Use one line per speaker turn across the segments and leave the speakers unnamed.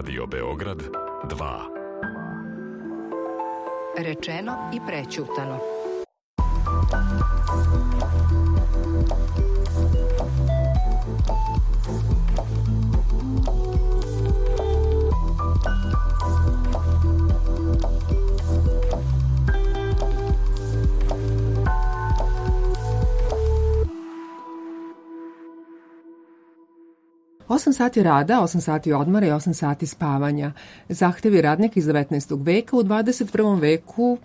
Radio Beograd 2.
Rečeno i prećutano.
Osam sati rada, 8 sati odmora i 8 sati spavanja. Zahtevi radnika iz 19. veka u 21. veku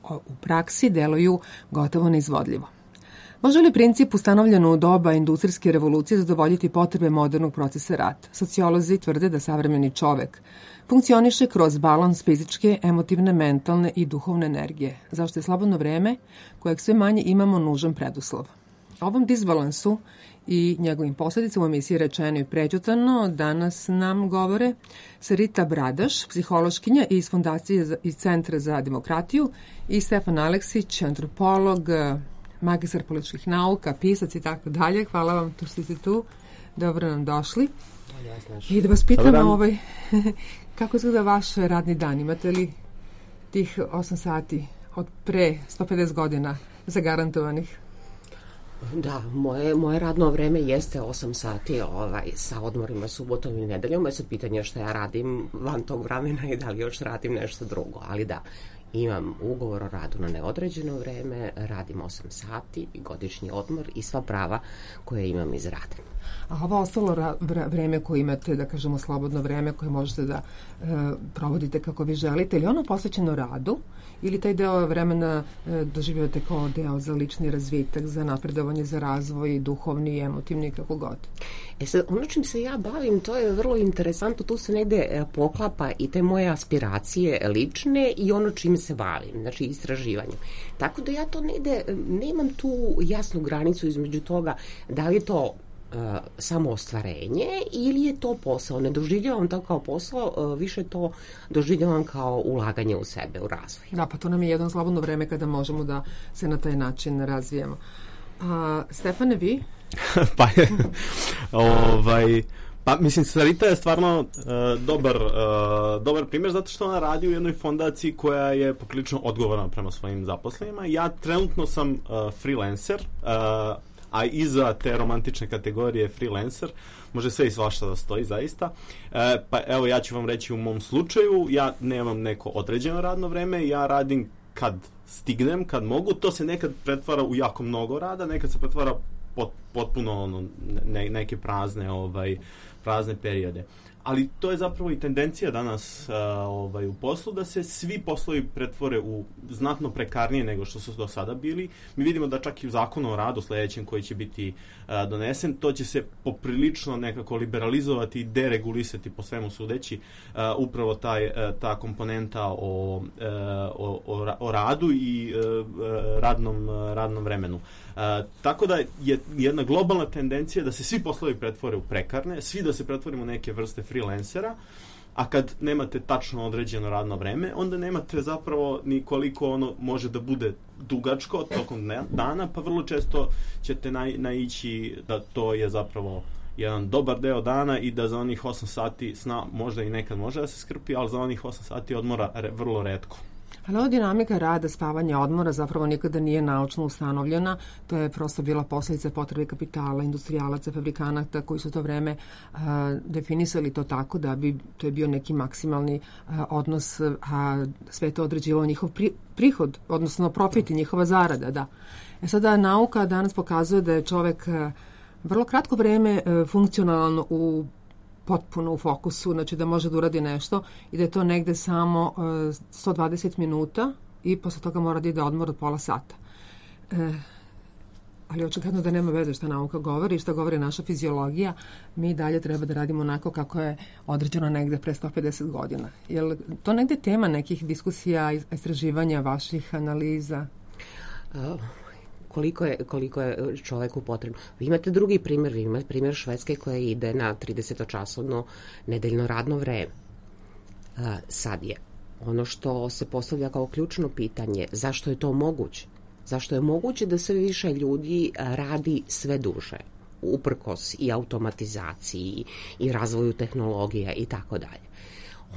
u praksi deluju gotovo neizvodljivo. Može li princip ustanovljen u doba industrijske revolucije zadovoljiti potrebe modernog procesa rada? Sociolozi tvrde da savremeni čovek funkcioniše kroz balans fizičke, emotivne, mentalne i duhovne energije, zašto je slobodno vreme, kojeg sve manje imamo, nužan preduslov. O ovom disbalansu i njegovim posledicama u emisiji Rečeno i prećutano danas nam govore Sarita Bradaš, psihološkinja iz Fondacije iz Centra za demokratiju, i Stefan Aleksić, antropolog, magistar političkih nauka, pisac i tako dalje. Hvala vam što ste tu. Dobro nam došli. I da vas pitam kako izgleda vaš radni dan? Imate li tih 8 sati od pre 150 godina zagarantovanih?
Da, moje radno vreme jeste 8 sati sa odmorima subotom i nedeljom. Sad pitanje što ja radim van tog vremena i da li još radim nešto drugo. Ali da, imam ugovor o radu na neodređeno vreme, radim 8 sati, godišnji odmor i sva prava koje imam iz rada.
A ovo ostalo vreme koje imate, da kažemo slobodno vreme koje možete da provodite kako vi želite, ili ono posvećeno radu, ili taj deo vremena doživljavate kao deo za lični razvitak, za napredovanje, za razvoj, duhovni, emotivni, kako god?
Sad, ono čim se ja bavim, to je vrlo interesantno, tu se negde poklapa i te moje aspiracije lične i ono čim se bavim, znači istraživanjem. Tako da ja to negde, nemam tu jasnu granicu između toga da li je to samo ostvarenje ili je to posao. Ne doživljavam to kao posao, više to doživljavam kao ulaganje u sebe, u razvoj.
Da, pa to nam je jedno slobodno vreme kada možemo da se na taj način razvijemo. Stefane, vi?
Pa mislim, Sarita je stvarno dobar primjer zato što ona radi u jednoj fondaciji koja je poprilično odgovorna prema svojim zaposlenima. Ja trenutno sam freelancer, a iza te romantične kategorije freelancer može sve i svašta da stoji zaista. Pa evo, ja ću vam reći u mom slučaju, ja nemam neko određeno radno vreme, ja radim kad stignem, kad mogu, to se nekad pretvara u jako mnogo rada, nekad se pretvara potpuno neke prazne periode. Ali to je zapravo i tendencija danas u poslu, da se svi poslovi pretvore u znatno prekarnije nego što su do sada bili. Mi vidimo da čak i u zakonu o radu sledećem koji će biti donesen, to će se poprilično nekako liberalizovati i deregulisati po svemu sudeći upravo ta komponenta o radu i radnom vremenu. Tako da je jedna globalna tendencija da se svi poslovi pretvore u prekarne, svi da se pretvorimo u neke vrste freelancera, a kad nemate tačno određeno radno vreme, onda nemate zapravo ni koliko ono može da bude dugačko tokom dana, pa vrlo često ćete naići da to je zapravo jedan dobar deo dana i da za onih 8 sati sna možda i nekad može da se skrpi, ali za onih 8 sati odmora vrlo retko.
Ali ova dinamika rada, spavanja, odmora zapravo nikada nije naučno ustanovljena. To je prosto bila posledica potrebe kapitala, industrijalaca, fabrikanata koji su to vreme definisali to tako da bi to je bio neki maksimalni odnos, a sve to određivao njihov prihod, odnosno profit i njihova zarada. Da. Sada nauka danas pokazuje da je čovek vrlo kratko vreme funkcionalno potpuno u fokusu, znači da može da uradi nešto i da je to negde samo 120 minuta i posle toga mora da ide odmor od pola sata. Ali očigledno da nema veze šta nauka govori i šta govori naša fiziologija. Mi dalje treba da radimo onako kako je određeno negde pre 150 godina. Je li to negde tema nekih diskusija, istraživanja, vaših analiza?
Koliko je čoveku potrebno. Vi imate drugi primjer, vi imate primjer Švedske koja ide na 30-časovno nedeljno radno vreme. Sad je ono što se postavlja kao ključno pitanje, zašto je to moguće? Zašto je moguće da sve više ljudi radi sve duže, uprkos i automatizaciji i razvoju tehnologija i tako dalje?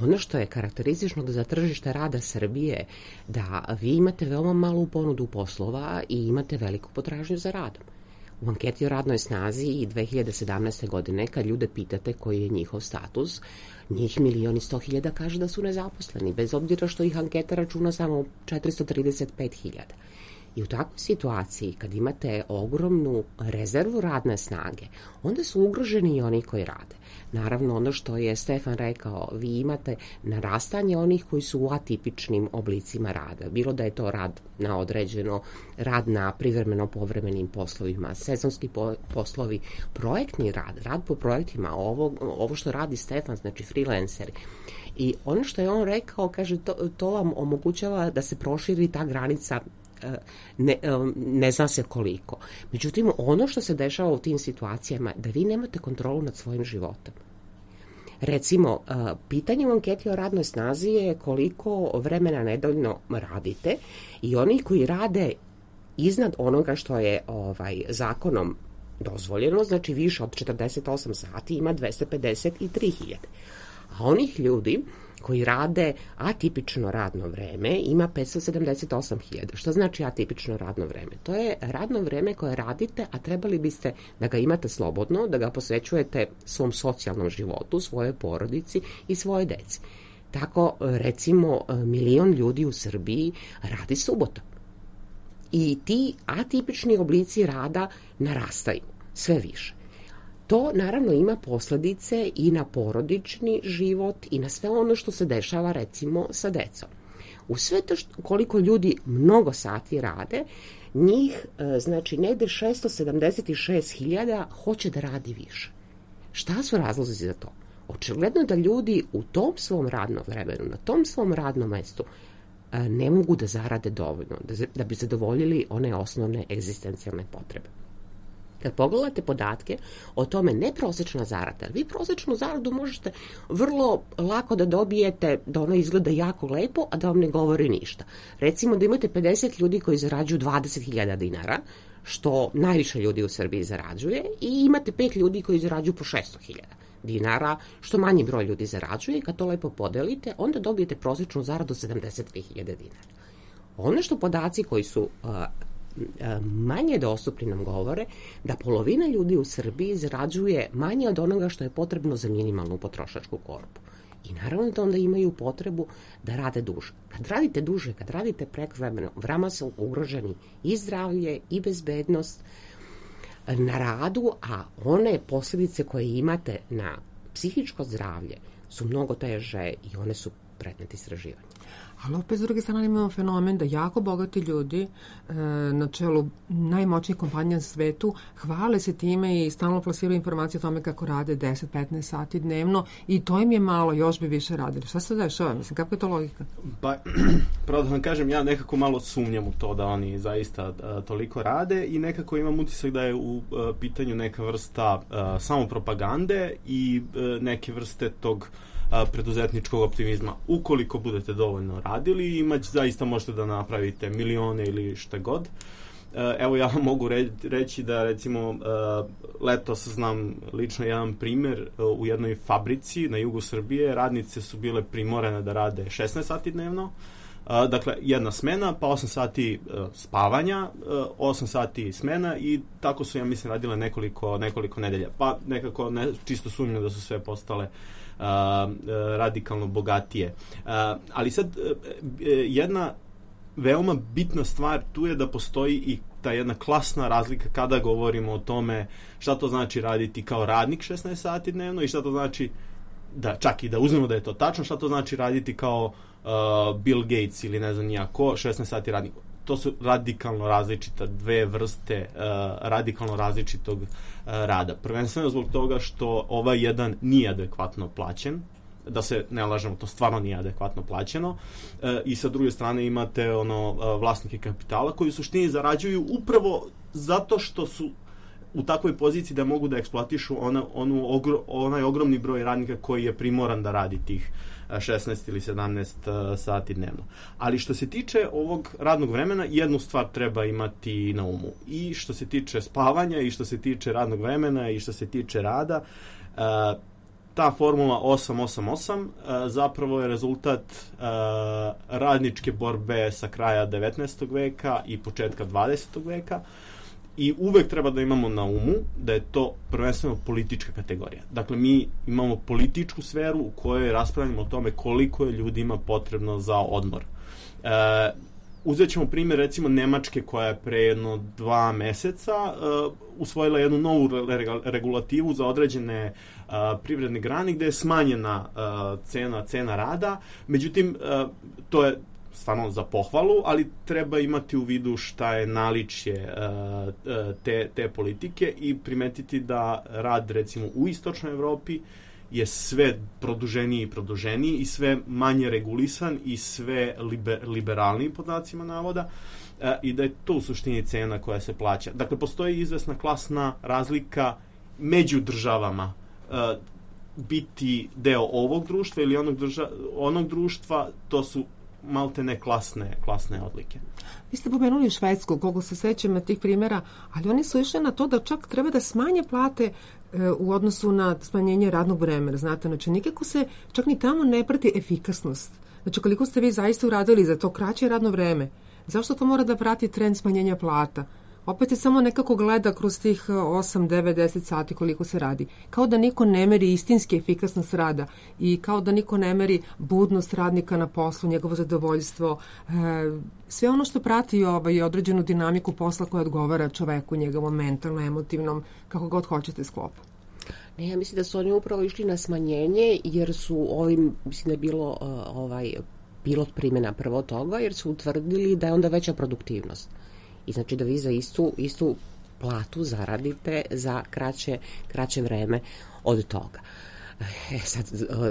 Ono što je karakteristično za tržište rada Srbije, da vi imate veoma malu ponudu poslova i imate veliku potražnju za radom. U anketi o radnoj snazi i 2017. godine, kad ljude pitate koji je njihov status, njih 1.100.000 kaže da su nezaposleni, bez obzira što ih anketa računa samo 435.000. I u takvoj situaciji, kad imate ogromnu rezervu radne snage, onda su ugroženi i oni koji rade. Naravno, ono što je Stefan rekao, vi imate narastanje onih koji su u atipičnim oblicima rada. Bilo da je to rad na određeno, rad na privremeno-povremenim poslovima, sezonski poslovi, projektni rad po projektima, ovo što radi Stefan, znači freelanceri. I ono što je on rekao, kaže, to vam omogućava da se proširi ta granica ne zna se koliko. Međutim, ono što se dešava u tim situacijama, da vi nemate kontrolu nad svojim životom. Recimo, pitanje u anketi o radnoj snazi je koliko vremena nedeljno radite i oni koji rade iznad onoga što je zakonom dozvoljeno, znači više od 48 sati, ima 253.000. A onih ljudi koji rade atipično radno vreme ima 578.000. Što znači atipično radno vreme? To je radno vreme koje radite, a trebali biste da ga imate slobodno, da ga posvećujete svom socijalnom životu, svojoj porodici i svoje deci. Tako, recimo, 1 milion ljudi u Srbiji radi subotom. I ti atipični oblici rada narastaju sve više. To naravno ima posledice i na porodični život i na sve ono što se dešava recimo sa decom. U sve to koliko ljudi mnogo sati rade, njih znači negde 676.000 hoće da radi više. Šta su razlozi za to? Očigledno da ljudi u tom svom radnom vremenu, na tom svom radnom mestu ne mogu da zarade dovoljno, da bi zadovoljili one osnovne egzistencijalne potrebe. Kad pogledate podatke o tome, ne prosečna zarada, vi prosečnu zaradu možete vrlo lako da dobijete, da ona izgleda jako lepo, a da vam ne govori ništa. Recimo da imate 50 ljudi koji zarađuju 20.000 dinara, što najviše ljudi u Srbiji zarađuje, i imate 5 ljudi koji zarađuju po 600.000 dinara, što manji broj ljudi zarađuje, i kad to lepo podelite, onda dobijete prosečnu zaradu 72.000 dinara. Ono što podaci koji su manje dostupni nam govore, da polovina ljudi u Srbiji zarađuje manje od onoga što je potrebno za minimalnu potrošačku korpu. I naravno da onda imaju potrebu da rade duže. Kad radite duže, kad radite prekovremeno, vama su ugroženi i zdravlje i bezbednost na radu, a one posljedice koje imate na psihičko zdravlje su mnogo teže i one su predmet istraživanja.
Ali opet s druge strane imamo fenomen da jako bogati ljudi na čelu najmoćnijih kompanija na svetu hvale se time i stalno plasiraju informacije o tome kako rade 10-15 sati dnevno i to im je malo, još bi više radili. Šta se dešava? Mislim, kako je to logika?
Pa, pravo da vam kažem, ja nekako malo sumnjam u to da oni zaista toliko rade i nekako imam utisak da je u pitanju neka vrsta samopropagande i neke vrste tog preduzetničkog optimizma. Ukoliko budete dovoljno radili, zaista možete da napravite milione ili šta god. Evo, ja vam mogu reći da, recimo, letos znam lično jedan primjer u jednoj fabrici na jugu Srbije. Radnice su bile primorane da rade 16 sati dnevno, dakle jedna smena, pa 8 sati spavanja, 8 sati smena, i tako su, ja mislim, radile nekoliko nedelja. Pa nekako čisto sumnjam da su sve postale radikalno bogatije. Ali sad jedna veoma bitna stvar tu je da postoji i ta jedna klasna razlika kada govorimo o tome šta to znači raditi kao radnik 16 sati dnevno i šta to znači, da čak i da uzmemo da je to tačno, šta to znači raditi kao Bill Gates ili ne znam nijako 16 sati radnik. To su radikalno različita dve vrste radikalno različitog rada. Prvenstveno zbog toga što ovaj jedan nije adekvatno plaćen, da se ne lažemo, to stvarno nije adekvatno plaćeno, i sa druge strane imate vlasnike kapitala koji u suštini zarađuju upravo zato što su u takvoj poziciji da mogu da eksploatišu onaj ogromni broj radnika koji je primoran da radi tih 16 ili 17 sati dnevno. Ali što se tiče ovog radnog vremena, jednu stvar treba imati na umu. I što se tiče spavanja, i što se tiče radnog vremena, i što se tiče rada, ta formula 888 zapravo je rezultat radničke borbe sa kraja 19. veka i početka 20. veka i uvek treba da imamo na umu da je to prvenstveno politička kategorija. Dakle, mi imamo političku sferu u kojoj raspravljamo o tome koliko je ljudima potrebno za odmor. Uzet ćemo primjer recimo Nemačke koja je pre jedno 2 meseca usvojila jednu novu regulativu za određene privredne grane gde je smanjena cena rada. Međutim, to je stvarno za pohvalu, ali treba imati u vidu šta je naličje te politike i primetiti da rad recimo u istočnoj Evropi je sve produženiji i sve manje regulisan i sve liberalniji pod znacima navoda i da je to u suštini cena koja se plaća. Dakle, postoji izvesna klasna razlika među državama biti deo ovog društva ili onog društva, to su maltene klasne odlike.
Vi ste pomenuli Švedsku, koliko se sećam tih primjera, ali oni su išli na to da čak treba da smanje plate u odnosu na smanjenje radnog vremena. Znate, znači nikako se čak ni tamo ne prati efikasnost. Znači koliko ste vi zaista uradili za to kraće radno vreme? Zašto to mora da prati trend smanjenja plata? Opet se samo nekako gleda kroz tih 8, 9, 10 sati koliko se radi. Kao da niko ne meri istinski efikasnost rada i kao da niko ne meri budnost radnika na poslu, njegovo zadovoljstvo, sve ono što prati određenu dinamiku posla koja odgovara čoveku, njegovom mentalno, emotivnom, kako god hoćete sklopu.
Ne, ja mislim da su oni upravo išli na smanjenje jer su ovim, mislim da je bilo pilot primjena prvo toga, jer su utvrdili da je onda veća produktivnost. I znači da vi za istu platu zaradite za kraće vreme od toga. Sad,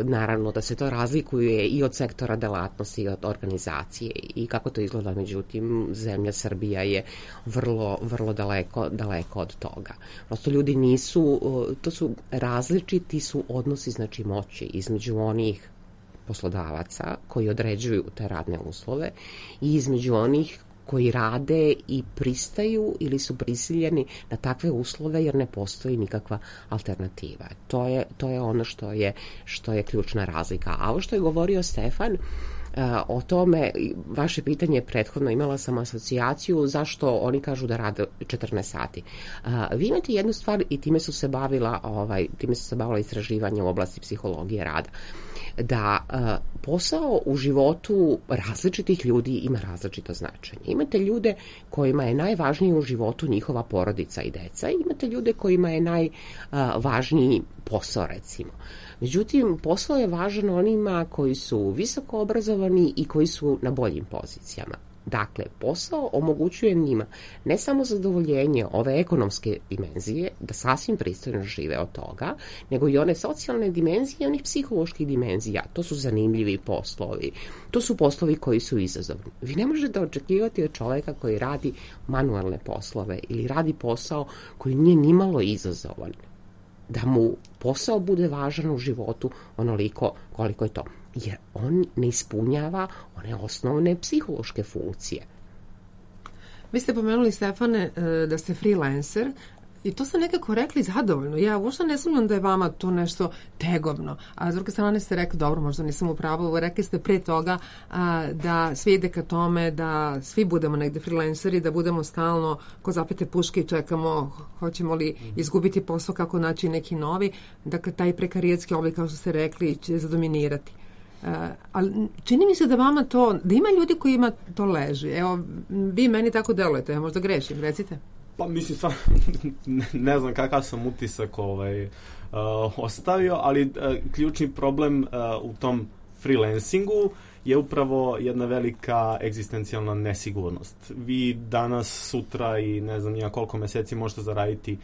naravno da se to razlikuje i od sektora delatnosti i od organizacije i kako to izgleda, međutim zemlja Srbija je vrlo daleko od toga. Prosto ljudi nisu, to su različiti su odnosi znači moći između onih poslodavaca koji određuju te radne uslove i između onih koji rade i pristaju ili su prisiljeni na takve uslove jer ne postoji nikakva alternativa. To je ono što je ključna razlika. A ovo što je govorio Stefan, o tome, vaše pitanje prethodno, imala sam asocijaciju zašto oni kažu da rade 14 sati. Vi imate jednu stvar i time su se bavila istraživanja u oblasti psihologije rada, da posao u životu različitih ljudi ima različito značenje. Imate ljude kojima je najvažniji u životu njihova porodica i deca, i imate ljude kojima je najvažniji posao, recimo. Međutim, posao je važan onima koji su visoko obrazovani i koji su na boljim pozicijama. Dakle, posao omogućuje njima ne samo zadovoljenje ove ekonomske dimenzije, da sasvim pristojno žive od toga, nego i one socijalne dimenzije i onih psiholoških dimenzija. To su zanimljivi poslovi, to su poslovi koji su izazovni. Vi ne možete očekivati od čoveka koji radi manualne poslove ili radi posao koji nije nimalo izazovan, da mu posao bude važan u životu onoliko koliko je to. Jer on ne ispunjava one osnovne psihološke funkcije.
Vi ste pomenuli, Stefane, da ste freelancer i to ste nekako rekli zadovoljno. Ja uopšte ne sumnjam da je vama to nešto tegovno. A s druge strane ste rekli, dobro, možda nisam u pravu, rekli ste pre toga da svi ide ka tome da svi budemo negde freelanceri, da budemo stalno ko zapete puške i čekamo hoćemo li izgubiti posao, kako naći neki novi. Dakle, taj prekarijetski oblik, kao što ste rekli, će zadominirati. Ali čini mi se da vama to, da ima ljudi kojima to leži. Evo, vi meni tako delujete, ja možda grešim, recite.
Pa mislim, stvarno, ne znam kakav sam utisak ostavio, ali ključni problem u tom freelancingu je upravo jedna velika egzistencijalna nesigurnost. Vi danas, sutra i ne znam nija koliko meseci možete zaraditi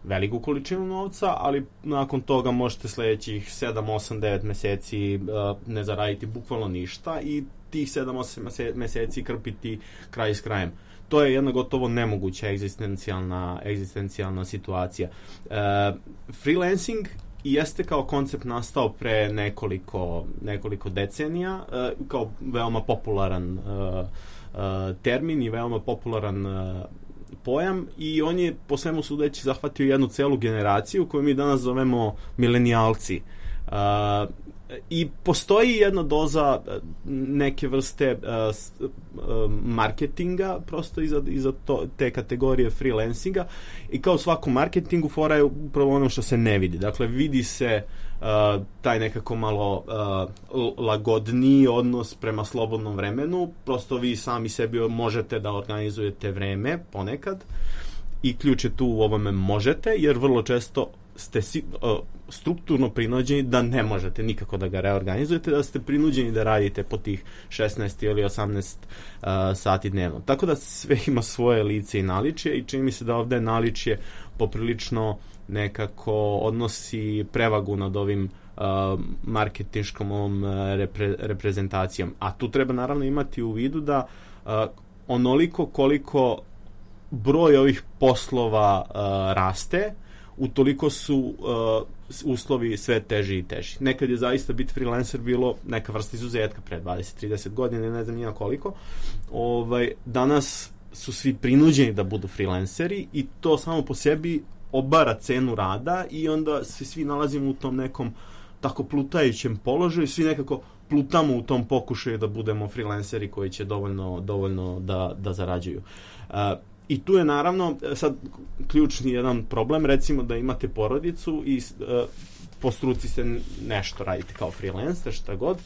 veliku količinu novca, ali nakon toga možete sledećih 7, 8, 9 meseci ne zaraditi bukvalno ništa i tih 7, 8 meseci krpiti kraj s krajem. To je jedna gotovo nemoguća egzistencijalna situacija. Freelancing jeste kao koncept nastao pre nekoliko decenija, kao veoma popularan termin i veoma popularan pojam i on je po svemu sudeći zahvatio jednu celu generaciju koju mi danas zovemo milenijalci. I postoji jedna doza neke vrste marketinga prosto iza te kategorije freelancinga i kao u svakom marketingu fora je upravo ono što se ne vidi. Dakle, vidi se taj nekako malo lagodniji odnos prema slobodnom vremenu, prosto vi sami sebi možete da organizujete vreme ponekad i ključ je tu u ovome možete, jer vrlo često ste strukturno prinuđeni da ne možete nikako da ga reorganizujete, da ste prinuđeni da radite po tih 16 ili 18 sati dnevno. Tako da sve ima svoje lice i naličje i čini mi se da ovde naličje poprilično nekako odnosi prevagu nad ovim marketinškom ovom reprezentacijom. A tu treba naravno imati u vidu da onoliko koliko broj ovih poslova raste, utoliko su uslovi sve teži i teži. Nekad je zaista biti freelancer bilo neka vrsta izuzetka pre 20-30 godina, ne znam nija koliko. Danas su svi prinuđeni da budu freelanceri i to samo po sebi obara cenu rada i onda se svi nalazimo u tom nekom tako plutajućem položaju, svi nekako plutamo u tom pokušaju da budemo freelanceri koji će dovoljno da zarađuju. I tu je naravno sad ključni jedan problem, recimo da imate porodicu i po struci se nešto radite kao freelancer, šta god,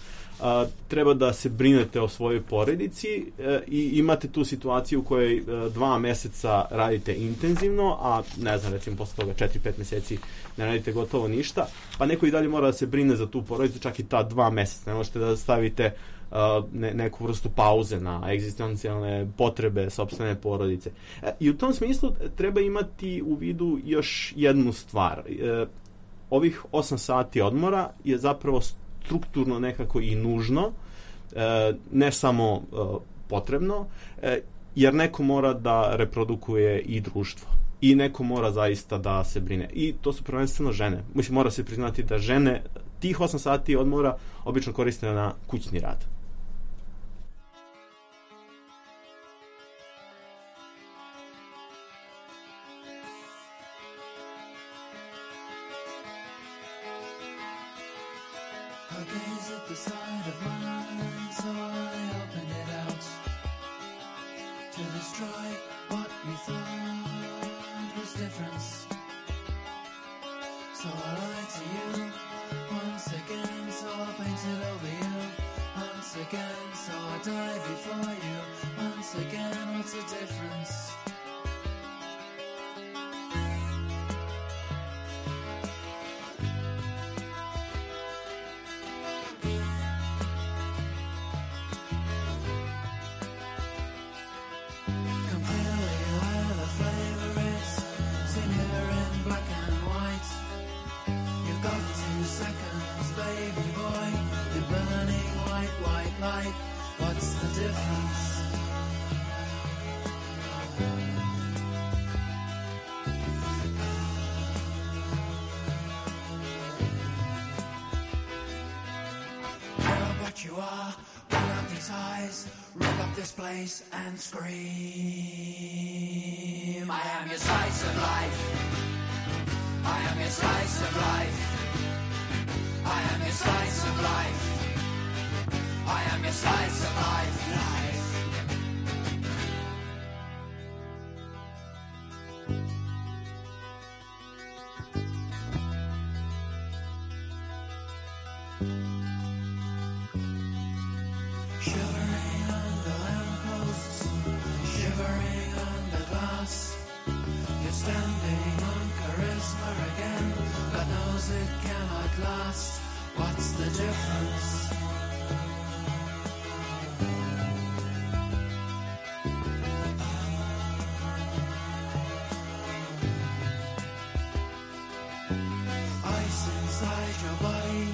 treba da se brinete o svojoj porodici i imate tu situaciju u kojoj 2 meseca radite intenzivno, a ne znam, recimo posle toga 4-5 meseci ne radite gotovo ništa, pa neko i dalje mora da se brine za tu porodicu čak i ta 2 meseca. Ne možete da stavite neku vrstu pauze na egzistencijalne potrebe sopstvene porodice. I u tom smislu treba imati u vidu još jednu stvar. Ovih 8 sati odmora je zapravo strukturno nekako i nužno, ne samo potrebno, jer neko mora da reprodukuje i društvo. I neko mora zaista da se brine. I to su prvenstveno žene. Mislim, mora se priznati da žene tih 8 sati odmora obično koriste na kućni rad.
I gaze at the side of mine, so I open it out to destroy what you thought was difference. So I lie to you once again, so I paint it over you once again, so I die before you once again. What's the difference? What's the difference? You're what you are, pull up these eyes, rip up this place and scream. I am your slice of life. I am your slice of life. I am your slice of life. I am your slice of life, life. Shivering under lampposts, shivering under glass. You're standing on charisma again. God knows it cannot last. What's the difference? Inside your body,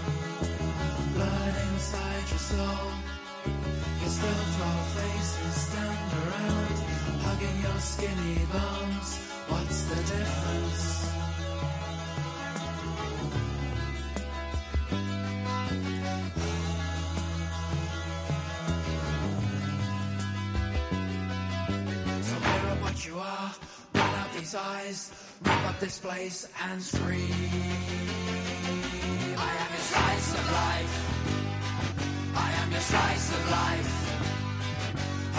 blood inside your soul. Your still 12 faces stand around, hugging your skinny bones. What's the difference? So mirror what you are, these eyes, wrap up this place and scream. I am your slice of life. I am your slice of life.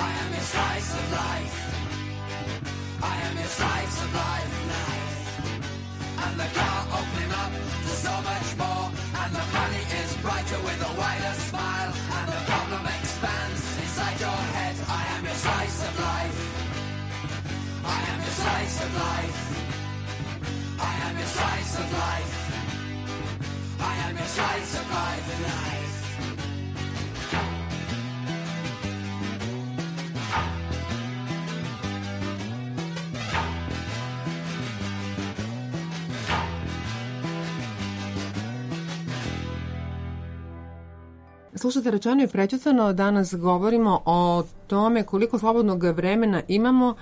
I am your slice of life. I am your slice of life. And the car opening up to so much more. And the money is brighter with a wider smile. And the problem expands inside your head. I am your slice of life. I am your slice of life. I am your slice of life. I am your slice of life.
Slušajte, rečeno i prećutano, danas govorimo o tome koliko slobodnog vremena imamo,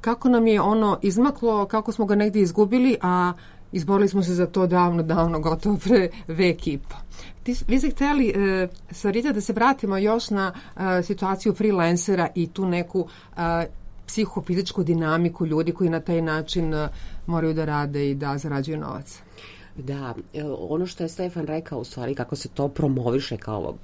kako nam je ono izmaklo, kako smo ga negdje izgubili, a izborili smo se za to davno, gotovo pre vek i po. Vi ste htjeli, Sarita, da se vratimo još na situaciju freelancera i tu neku psihofizičku dinamiku ljudi koji na taj način moraju da rade i da zarađuju novac.
Da, ono što je Stefan rekao u stvari kako se to promoviše kao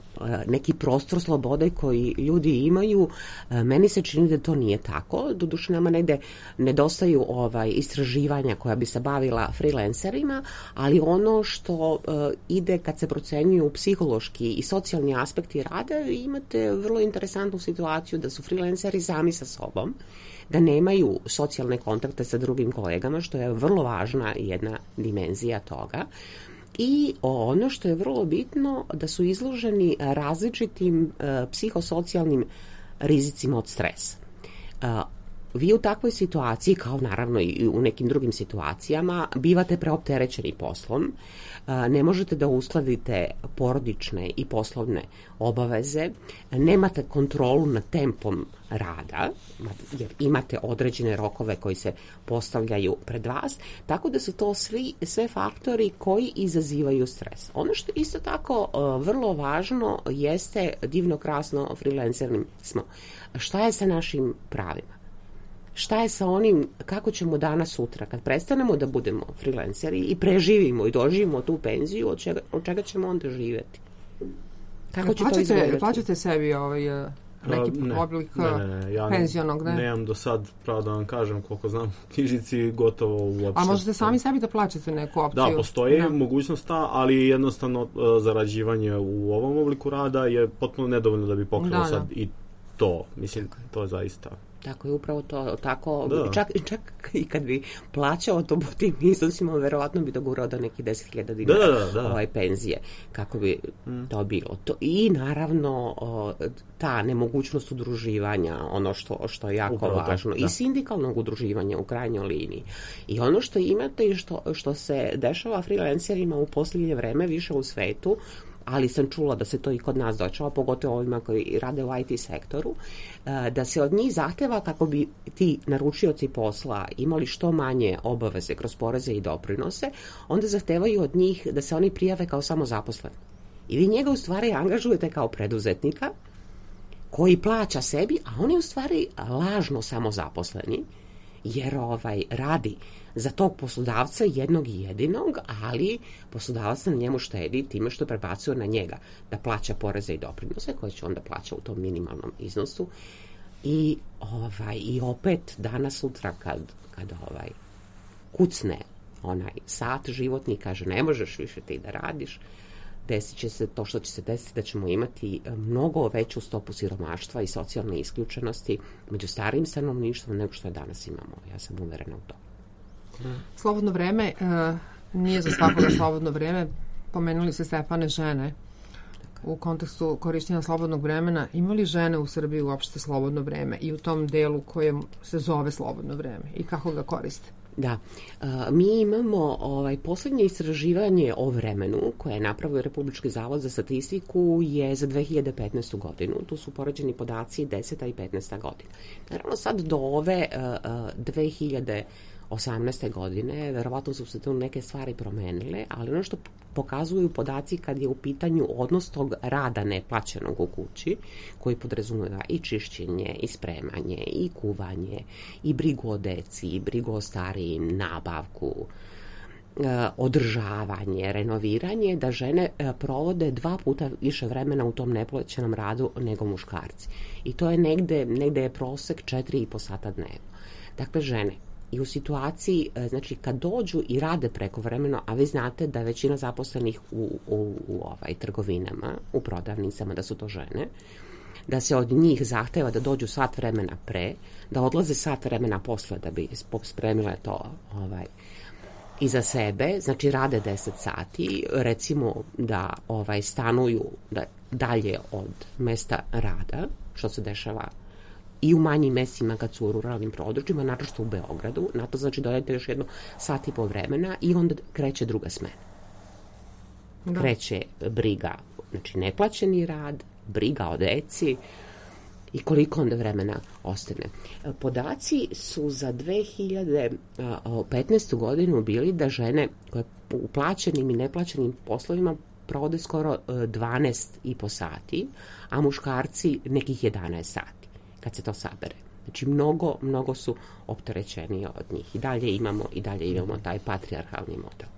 neki prostor slobode koji ljudi imaju, meni se čini da to nije tako. Doduše nama negde nedostaju istraživanja koja bi se bavila freelancerima, ali ono što ide kad se procenjuju psihološki i socijalni aspekti rada, imate vrlo interesantnu situaciju da su freelanceri sami sa sobom, da nemaju socijalne kontakte sa drugim kolegama, što je vrlo važna jedna dimenzija toga. I ono što je vrlo bitno, da su izloženi različitim psihosocijalnim rizicima od stresa. Vi u takvoj situaciji, kao naravno i u nekim drugim situacijama, bivate preopterećeni poslom, ne možete da uskladite porodične i poslovne obaveze, nemate kontrolu nad tempom rada, jer imate određene rokove koji se postavljaju pred vas, tako da su to sve faktori koji izazivaju stres. Ono što isto tako vrlo važno jeste, divno krasno freelancernim smo, šta je sa našim pravima? Šta je sa onim, kako ćemo danas sutra, kad prestanemo da budemo freelanceri i preživimo i doživimo tu penziju, od čega ćemo onda živjeti? Kako će to izgledati?
Plaćate sebi neki oblik penzionog, ne?
Nemam do sad, pravo da vam kažem, koliko znam, knjižici gotovo uopšte.
A možete sami sebi da plaćate neku opciju?
Da, postoji mogućnost ta, ali jednostavno zarađivanje u ovom obliku rada je potpuno nedovoljno da bi pokrilo sad i to. Mislim, to je zaista...
Tako je, upravo to, tako, čak i kad bi plaćao to po tim iznosima, verovatno bi dogurao do neki 10.000 dinara penzije, kako bi to bilo. I naravno, ta nemogućnost udruživanja, ono što je jako upravo važno, i sindikalnog udruživanja u krajnjoj liniji. I ono što imate i što se dešava freelancerima u posljednje vreme više u svetu, ali sam čula da se to i kod nas dočava, pogotovo ovima koji rade u IT sektoru, da se od njih zahteva kako bi ti naručioci posla imali što manje obaveze kroz poreze i doprinose, onda zahtevaju od njih da se oni prijave kao samozaposleni. I vi njega u stvari angažujete kao preduzetnika koji plaća sebi, a on je u stvari lažno samozaposleni, jer radi za tog poslodavca jednog i jedinog, ali poslodavac na njemu štedi time što prebacuje na njega da plaća poreze i doprinose koje će onda plaća u tom minimalnom iznosu. I opet danas sutra kad kucne onaj sat životni, kaže ne možeš više ti da radiš, desit će se to što će se desiti, da ćemo imati mnogo veću stopu siromaštva i socijalne isključenosti među starijim stanovništvom nego što je danas imamo. Ja sam uverena u to.
Slobodno vreme nije za svakoga slobodno vreme. Pomenuli se, Stefane, žene u kontekstu korištenja slobodnog vremena. Ima li žene u Srbiji uopšte slobodno vreme i u tom delu kojem se zove slobodno vreme i kako ga koriste?
Da, mi imamo posljednje istraživanje o vremenu koje je napravio Republički zavod za statistiku je za 2015. godinu. Tu su poređeni podaci 10. i 15. godina. Naravno sad do ove 2018. 2018. godine, verovatno su se tu neke stvari promenile, ali ono što pokazuju podaci kad je u pitanju odnos tog rada neplaćenog u kući, koji podrazumeva i čišćenje, i spremanje, i kuvanje, i brigu o deci, i brigu o starijim, nabavku, održavanje, renoviranje, da žene provode 2 puta više vremena u tom neplaćenom radu nego muškarci. I to je negde je prosek 4,5 sata dnevno. Dakle, žene i u situaciji, znači kad dođu i rade prekovremeno, a vi znate da većina zaposlenih u trgovinama, u prodavnicama, da su to žene, da se od njih zahteva da dođu sat vremena pre, da odlaze sat vremena posle da bi spremile to iza sebe, znači rade 10 sati, recimo da stanuju dalje od mesta rada, što se dešava i u manjim mestima kad su u ruralnim područjima, naročito u Beogradu, na to znači dodajte još 1 sat i po vremena i onda kreće druga smena. Da. Kreće briga, znači neplaćeni rad, briga o deci i koliko onda vremena ostane. Podaci su za 2015. godinu bili da žene koje u plaćenim i neplaćenim poslovima provode skoro 12,5 sati, a muškarci nekih 11 sati, kad se to sabere. Znači, mnogo su opterećeniji od njih. I dalje imamo taj patrijarhalni model.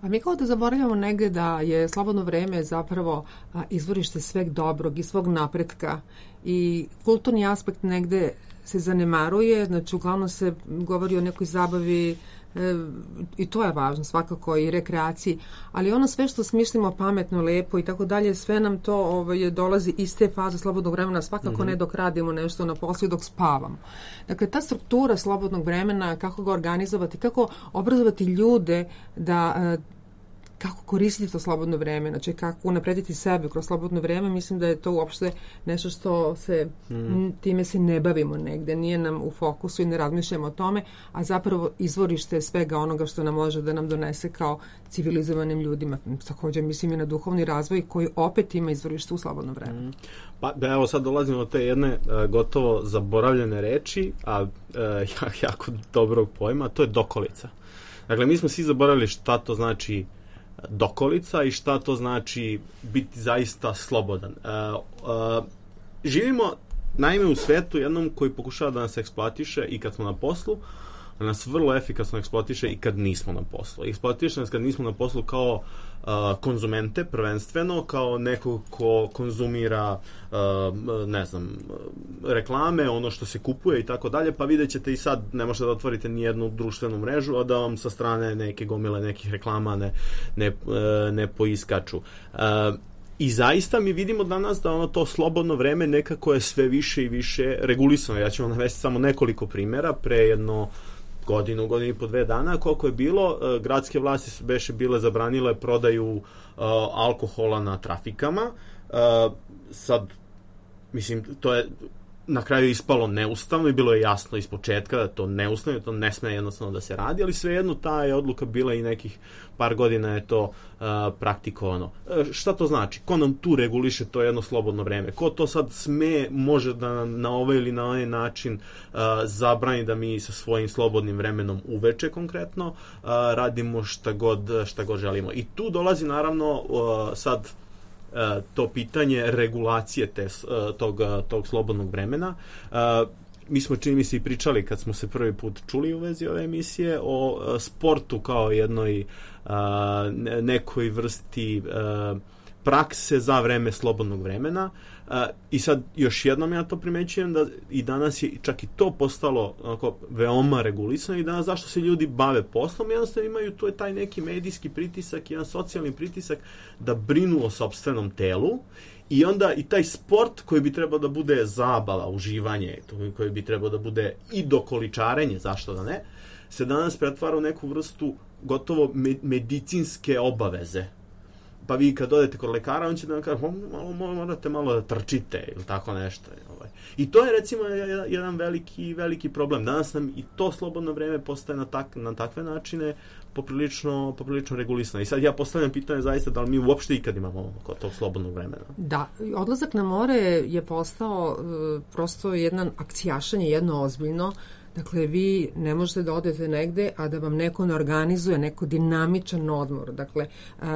A mi kao da zaboravljamo negde da je slobodno vreme zapravo izvorište sveg dobrog i svog napretka i kulturni aspekt negde se zanemaruje, znači uglavnom se govori o nekoj zabavi i to je važno svakako i rekreaciji, ali ono sve što smišljamo pametno, lepo i tako dalje, sve nam to dolazi iz te faze slobodnog vremena, svakako ne dok radimo nešto na poslu i dok spavamo. Dakle, ta struktura slobodnog vremena, kako ga organizovati, kako obrazovati ljude da kako koristiti to slobodno vreme, znači kako unaprediti sebe kroz slobodno vreme, mislim da je to uopšte nešto što se, time se ne bavimo negde, nije nam u fokusu i ne razmišljamo o tome, a zapravo izvorište svega onoga što nam može da nam donese kao civilizovanim ljudima. Također mislim i na duhovni razvoj koji opet ima izvorište u slobodno vreme.
Pa evo sad dolazimo do te jedne gotovo zaboravljene reči, a jako dobrog pojma, to je dokolica. Dakle, mi smo svi zaboravili šta to znači dokolica i šta to znači biti zaista slobodan. Živimo naime u svetu jednom koji pokušava da nas eksploatiše i kad smo na poslu, da nas vrlo efikasno eksploatiše i kad nismo na poslu. Eksploatiše nas kad nismo na poslu kao konzumente prvenstveno, kao nekog ko konzumira reklame, ono što se kupuje i tako dalje, pa vidjet ćete i sad ne možete da otvorite ni jednu društvenu mrežu, a da vam sa strane neke gomile nekih reklama ne poiskaču. I zaista mi vidimo danas da to slobodno vreme nekako je sve više i više regulisano. Ja ću vam navesti samo nekoliko primjera. Pre jedno godinu i po 2 dana, koliko je bilo, gradske vlasti su bile zabranile prodaju alkohola na trafikama. Sad, mislim, to je na kraju ispalo neustavno i bilo je jasno iz početka da to neustavno, to ne sme jednostavno da se radi, ali svejedno ta je odluka bila i nekih par godina je to praktikovano. Šta to znači? Ko nam tu reguliše to jedno slobodno vreme? Ko to sad može da na ovaj ili na onaj način zabrani da mi sa svojim slobodnim vremenom uveče konkretno radimo šta god želimo. I tu dolazi naravno sad to pitanje regulacije tog slobodnog vremena. Mi smo, čini mi se, i pričali kad smo se prvi put čuli u vezi ove emisije o sportu kao jednoj nekoj vrsti prakse za vreme slobodnog vremena. I sad još jednom ja to primećujem da i danas je čak i to postalo veoma regulisano i danas zašto se ljudi bave poslom, jednostavno imaju tu je taj neki medijski pritisak, jedan socijalni pritisak da brinu o sopstvenom telu i onda i taj sport koji bi trebao da bude zabava, uživanje, koji bi trebao da bude i dokoličarenje, zašto da ne, se danas pretvara u neku vrstu gotovo medicinske obaveze. Pa vi kad odete kod lekara, on će da vam kaže, morate malo da trčite ili tako nešto. I to je recimo jedan veliki problem. Danas nam i to slobodno vreme postaje na takve načine poprilično regulisano. I sad ja postavljam pitanje zaista da li mi uopšte ikad imamo kod tog slobodnog vremena.
Da, odlazak na more je postao prosto jedan akcijašanje, jedno ozbiljno. Dakle, vi ne možete da odete negde, a da vam neko ne organizuje neko dinamičan odmor. Dakle,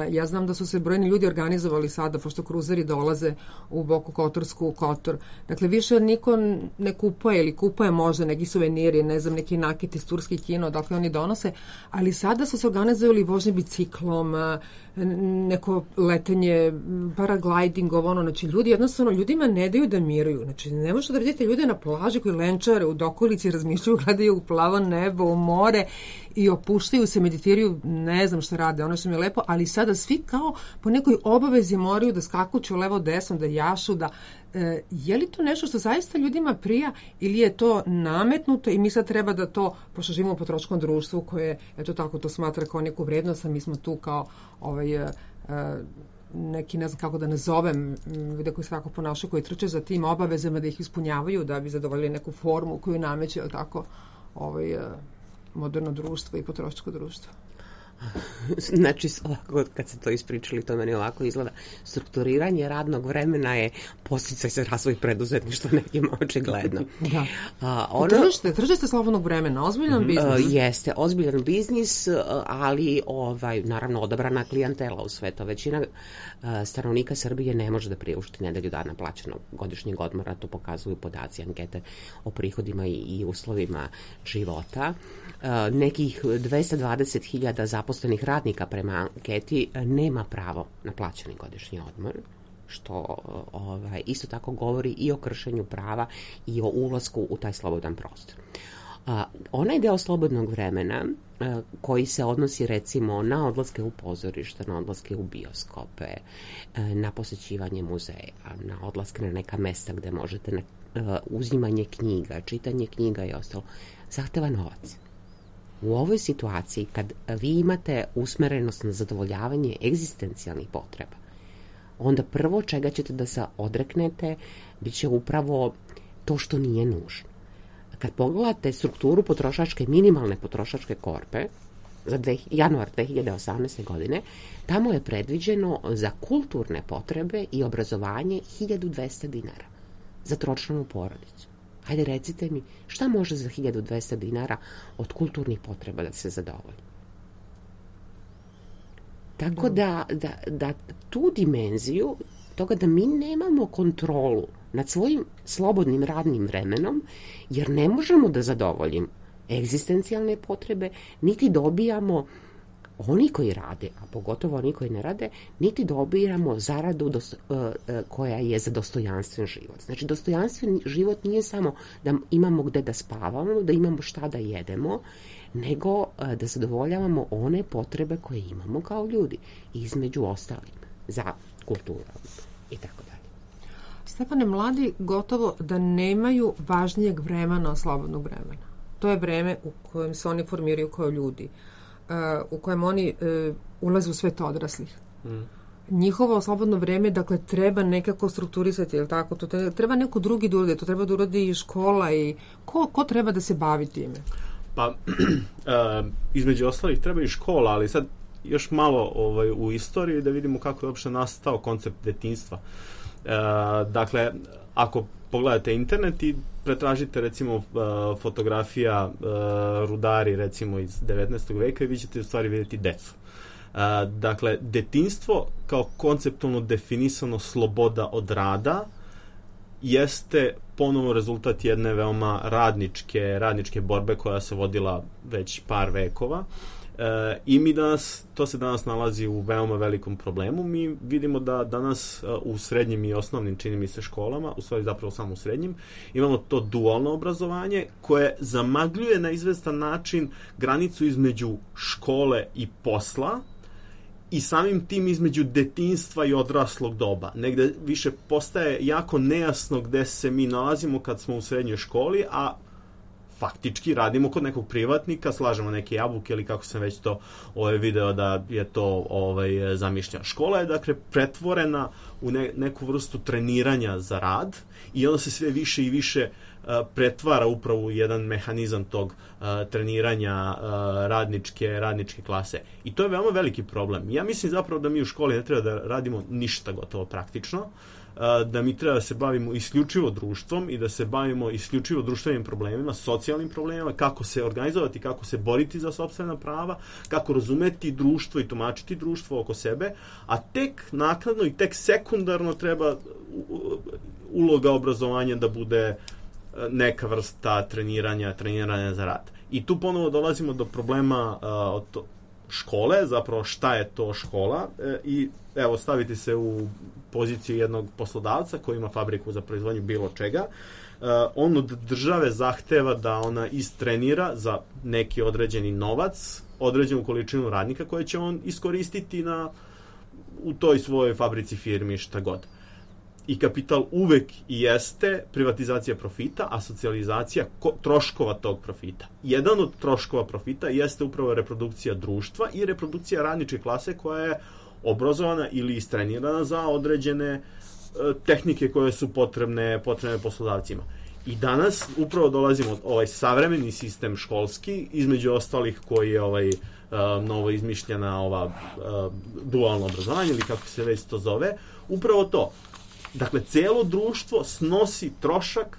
ja znam da su se brojni ljudi organizovali sada, pošto kruzeri dolaze u Boku Kotorsku, u Kotor. Dakle, više niko ne kupuje ili kupuje možda neki suveniri, ne znam, neki nakit iz turskih kino, dakle oni donose, ali sada su se organizovali vožnje biciklom, neko letenje, paragliding, znači ljudi jednostavno, ljudima ne daju da miruju. Znači, ne možete da vidite ljude na plaži koji lenčare u dokolici, razmišljaju, gledaju u plavo nebo, u more i opuštaju se, meditiraju, ne znam šta rade, ono što mi je lepo, ali sada svi kao po nekoj obavezi moraju da skakuću levo desno, da jašu, da je li to nešto što zaista ljudima prija ili je to nametnuto i mi sad treba da to, pošto živimo u potrošačkom društvu koje, eto tako, to smatra kao neku vrednost, a mi smo tu kao neki, ne znam kako da nazovem, ljude koji se tako ponašaju, koji trče za tim obavezama da ih ispunjavaju da bi zadovoljili neku formu koju nameće, tako, moderno društvo i potrošačko društvo.
Znači, ovako, kad ste to ispričali, to meni ovako izgleda. Strukturiranje radnog vremena je podsticaj za razvoj preduzetništva nekima očigledno.
Da. Tržište slobodnog vremena, ozbiljan biznis.
Jeste, ozbiljan biznis, ali naravno odabrana klijentela u sve to. Većina stanovnika Srbije ne može da priušti nedelju dana plaćenog godišnjeg odmora, to pokazuju podaci ankete o prihodima i uslovima života. Nekih 220.000 zaposlenih radnika prema anketi nema pravo na plaćeni godišnji odmor, što isto tako govori i o kršenju prava i o ulasku u taj slobodan prostor. Onaj deo slobodnog vremena koji se odnosi recimo na odlaske u pozorište, na odlaske u bioskope, na posećivanje muzeja, na odlaske na neka mesta gde možete uzimanje knjiga, čitanje knjiga i ostalo, zahteva novac. U ovoj situaciji, kad vi imate usmerenost na zadovoljavanje egzistencijalnih potreba, onda prvo čega ćete da se odreknete bit će upravo to što nije nužno. Kad pogledate strukturu minimalne potrošačke korpe za januar 2018. godine, tamo je predviđeno za kulturne potrebe i obrazovanje 1200 dinara za tročlanu porodicu. Hajde, recite mi, šta može za 1200 dinara od kulturnih potreba da se zadovolji? Tako da tu dimenziju toga da mi nemamo kontrolu nad svojim slobodnim radnim vremenom, jer ne možemo da zadovoljimo egzistencijalne potrebe, niti dobijamo oni koji rade, a pogotovo oni koji ne rade, niti dobijamo zaradu koja je za dostojanstven život. Znači, dostojanstven život nije samo da imamo gde da spavamo, da imamo šta da jedemo, nego da zadovoljavamo one potrebe koje imamo kao ljudi, između ostalim, za kulturu i tako dalje.
Stefane, mladi gotovo da nemaju važnijeg vremena od slobodnog vremena. To je vreme u kojem se oni formiraju kao ljudi, u kojem oni ulaze u svet odraslih. Njihovo slobodno vreme, dakle, treba nekako strukturisati, je li tako? To treba neko drugi da uradi, to treba da uradi i škola i ko treba da se bavi time?
Pa, između ostalih treba i škola, ali sad još malo u istoriji da vidimo kako je uopšte nastao koncept detinjstva. Dakle, ako pogledate internet i pretražite recimo fotografija rudari recimo iz 19. veka i vi ćete u stvari vidjeti decu. Dakle, detinjstvo kao konceptualno definisano sloboda od rada jeste ponovo rezultat jedne veoma radničke borbe koja se vodila već par vekova. I to se danas nalazi u veoma velikom problemu. Mi vidimo da danas u srednjim i osnovnim, čini mi se, školama, u stvari zapravo samo u srednjim, imamo to dualno obrazovanje koje zamagljuje na izvestan način granicu između škole i posla i samim tim između detinjstva i odraslog doba. Negde više postaje jako nejasno gde se mi nalazimo kad smo u srednjoj školi, a faktički radimo kod nekog privatnika, slažemo neke jabuke ili kako sam već to video da je to zamišljeno. Škola je dakle pretvorena u neku vrstu treniranja za rad i onda se sve više i više pretvara upravo u jedan mehanizam tog treniranja radničke klase. I to je veoma veliki problem. Ja mislim zapravo da mi u školi ne treba da radimo ništa gotovo praktično. da mi treba da se bavimo isključivo društvom i da se bavimo isključivo društvenim problemima, socijalnim problemima, kako se organizovati, kako se boriti za sopstvena prava, kako razumeti društvo i tumačiti društvo oko sebe, a tek naknadno i tek sekundarno treba uloga obrazovanja da bude neka vrsta treniranja za rad. I tu ponovo dolazimo do problema škole, zapravo šta je to škola, i evo staviti se u poziciju jednog poslodavca koji ima fabriku za proizvodnju bilo čega. On od države zahteva da ona istrenira za neki određeni novac, određenu količinu radnika koje će on iskoristiti u toj svojoj fabrici, firmi, šta god. I kapital uvek i jeste privatizacija profita, a socijalizacija troškova tog profita. Jedan od troškova profita jeste upravo reprodukcija društva i reprodukcija radničke klase koja je obrazovana ili istrenirana za određene tehnike koje su potrebne poslodavcima. I danas upravo dolazimo ovaj savremeni sistem školski, između ostalih koji je novo izmišljena dualno obrazovanje ili kako se već to zove, upravo to. Dakle, cijelo društvo snosi trošak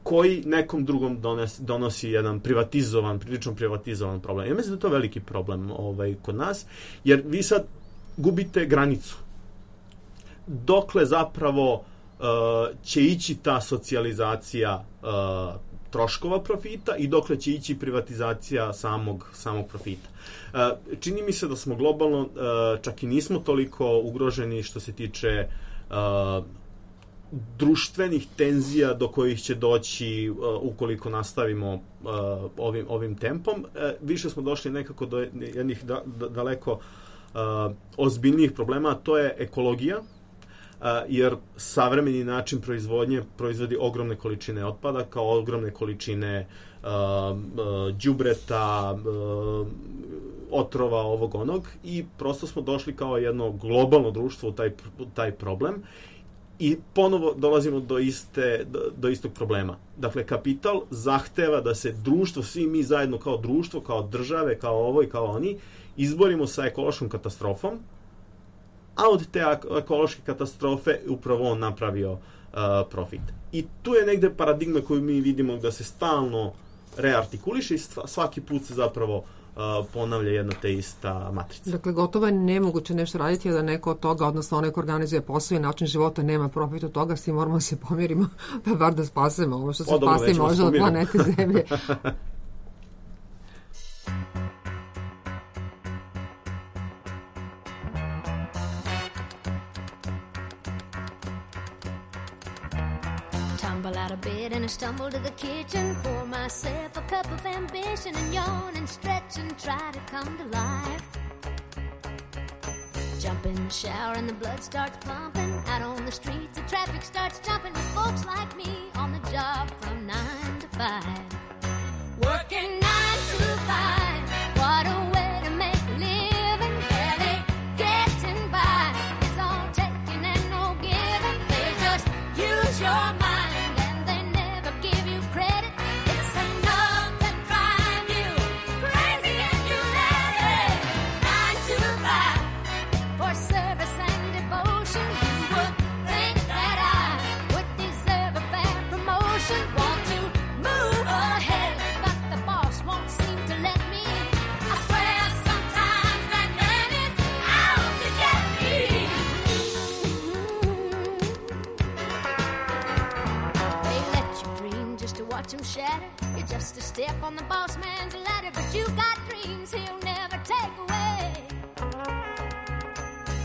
koji nekom drugom donosi jedan prilično privatizovan problem. Ja mislim da je to veliki problem kod nas, jer vi sad gubite granicu. Dokle zapravo će ići ta socijalizacija troškova profita i dokle će ići privatizacija samog profita. Čini mi se da smo globalno čak i nismo toliko ugroženi što se tiče društvenih tenzija do kojih će doći ukoliko nastavimo ovim tempom. Više smo došli nekako do jednih daleko ozbiljnijih problema, a to je ekologija, jer savremeni način proizvodnje proizvodi ogromne količine otpada, kao ogromne količine đubreta, otrova, ovog onog, i prosto smo došli kao jedno globalno društvo u taj problem i ponovo dolazimo do istog problema. Dakle, kapital zahteva da se društvo, svi mi zajedno kao društvo, kao države, kao ovo i kao oni, izborimo sa ekološkom katastrofom, a od te ekološke katastrofe upravo on napravio profit. I tu je negde paradigma koju mi vidimo da se stalno reartikuliše i svaki put se zapravo ponavlja jedna te ista matrica.
Dakle, gotovo je nemoguće nešto raditi da neko od toga, odnosno onaj ko organizuje posao i način života, nema profit od toga, svi moramo se pomirimo da bar da spasemo ovo što se spasi može od planete Zemlje.
Out of bed and I stumble to the kitchen, pour myself a cup of ambition and yawn and stretch and try to come to life. Jump in the shower and the blood starts pumping. Out on the streets the traffic starts jumping with folks like me on the job from 9 to 5. Working 9 to 5, what a way to make a living. Barely getting by, it's all taking and no giving. They just use your mind. You're just a step on the boss man's ladder, but you got dreams he'll never take away.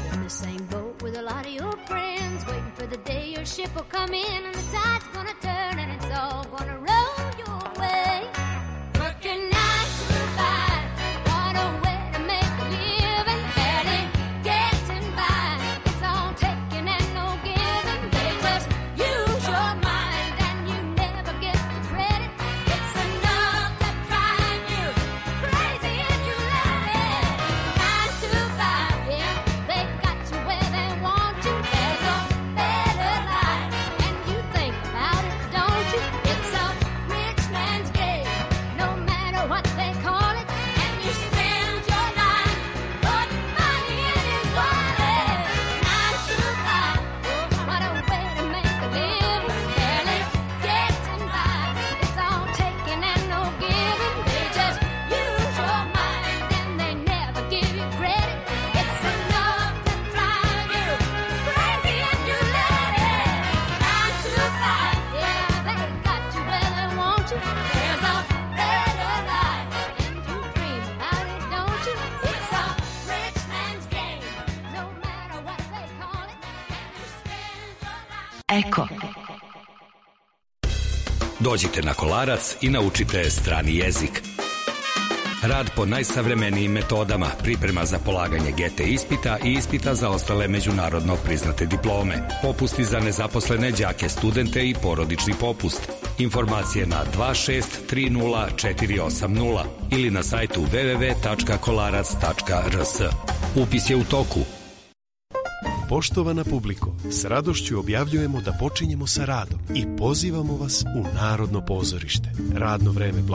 You're in the same boat with a lot of your friends, waiting for the day your ship will come in and the tide's gonna turn and it's all gonna roll your way. Working 9 to 5, what a way to make a living. Barely getting by, it's all taking and no giving. They just use your mind and you never get the credit. It's enough to drive you crazy and you love it. 9 to 5, yeah, they got you where they want you. There's a better life and you think about it, don't you? It's a you? There's a better life, and you dream about it, don't you? It's a rich man's game, no matter what they call it. And you spend your life.
Eko.
Dođite na Kolarac i naučite strani jezik. Rad po najsavremenijim metodama, priprema za polaganje GT ispita i ispita za ostale međunarodno priznate diplome. Popusti za nezaposlene đake, studente i porodični popust. Informacije na 2630480 ili na sajtu www.kolarac.rs. Upis je u toku.
Poštovana publiko, s radošću objavljujemo da počinjemo sa radom i pozivamo vas u Narodno pozorište. Radno vreme blagajne